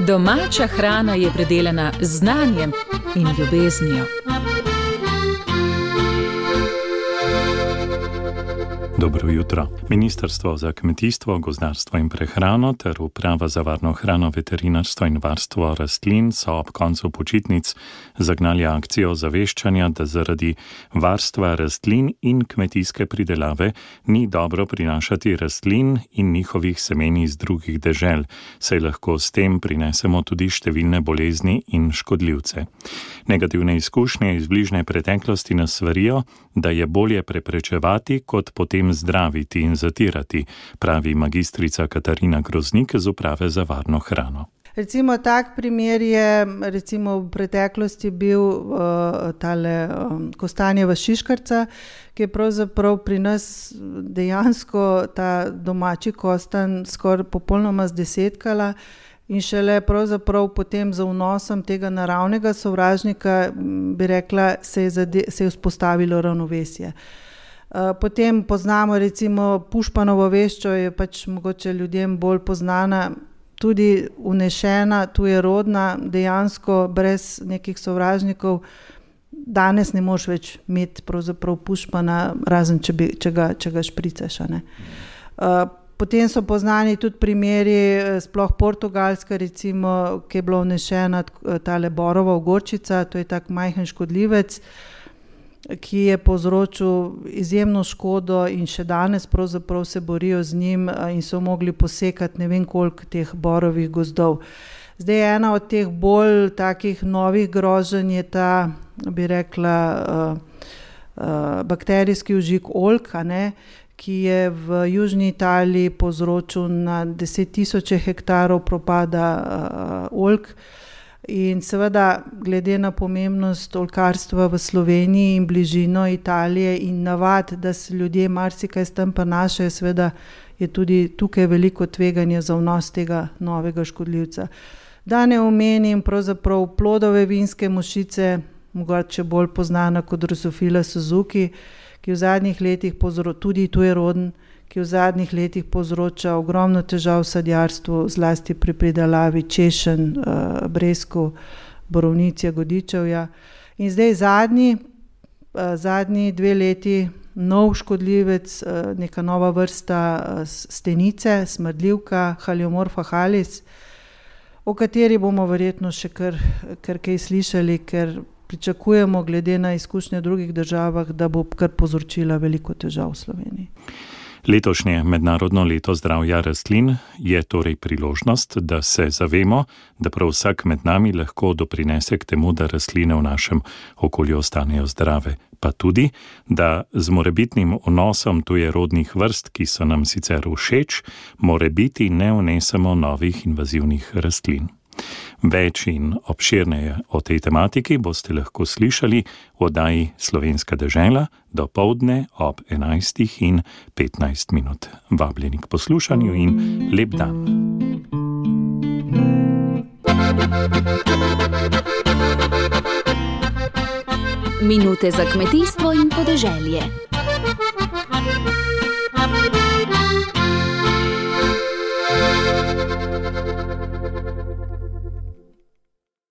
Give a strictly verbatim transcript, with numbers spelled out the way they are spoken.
Domača hrana je predelana z znanjem in ljubeznijo. Dobro jutro. Ministrstvo za kmetijstvo, gozdarstvo in prehrano ter Uprava za varno hrano, veterinarstvo in varstvo rastlin so ob koncu počitnic zagnali akcijo zaveščanja, da zaradi varstva rastlin in kmetijske pridelave ni dobro prinašati rastlin in njihovih semen iz drugih dežel, saj lahko s tem prinesemo tudi številne bolezni in škodljivce. Negativne izkušnje iz bližnje preteklosti nas svarijo, da je bolje preprečevati, kot potem zdraviti in zatirati, pravi magistrica Katarina Groznik z Uprave za varno hrano. Recimo tak primer je recimo v preteklosti bil uh, tale um, kostanjeva šiškarca, ki je pravzaprav pri nas dejansko ta domači kostan skoraj popolnoma zdesetkala in šele pravzaprav potem za vnosom tega naravnega sovražnika, bi rekla, se je, zade, se je vzpostavilo ravnovesje. Potem poznamo recimo pušpanovo veščo, je pač mogoče ljudem bolj poznana, tudi unešena, tujerodna, dejansko brez nekih sovražnikov. Danes ne moš več imeti pravzaprav pušpana, razen če, bi, če, ga, če ga špricaš. Ne? Potem so poznani tudi primeri, sploh Portugalska recimo, ki je bila unešena tale borova ogorčica, to je tak majhen škodljivec, ki je povzročil izjemno škodo in še danes pravzaprav se borijo z njim in so mogli posekati ne vem koliko teh borovih gozdov. Zdaj je ena od teh bolj takih novih groženj je ta, bi rekla, uh, uh, bakterijski užik oljk, a ne, ki je v južni Italiji povzročil na deset tisoče hektarov propada uh, oljk. In seveda, glede na pomembnost oljkarstva v Sloveniji in bližino Italije in navad, da se ljudje marsikaj s tem prenašajo, seveda je tudi tukaj veliko tveganje za vnos tega novega škodljivca. Da ne omenim pravzaprav plodove vinske mušice, mogoče bolj poznana kot Drosophila suzuki, ki v zadnjih letih povzroča, tudi tujeroden, ki v zadnjih letih povzroča ogromno težav v sadjarstvu, zlasti pri pridelavi češenj, breskev, borovnic, jagodičevja. In zdaj zadnji, zadnji dve leti nov škodljivec, neka nova vrsta stenice, smrdljivka, Haliomorpha halis, o kateri bomo verjetno še kar, kar kaj slišali, ker pričakujemo glede na izkušnje v drugih državah, da bo kar povzročila veliko težav v Sloveniji. Letošnje mednarodno leto zdravja rastlin je torej priložnost, da se zavemo, da prav vsak med nami lahko doprinese k temu, da rastline v našem okolju ostanejo zdrave, pa tudi, da z morebitnim vnosom tujerodnih vrst, ki so nam sicer všeč, morebiti ne vnesemo novih invazivnih rastlin. Več in obširneje o tej tematiki boste lahko slišali v oddaji Slovenska dežela dopoldne ob enajstih in petnajst minut. Vabljeni k poslušanju in lep dan. Minute za kmetijstvo in podeželje.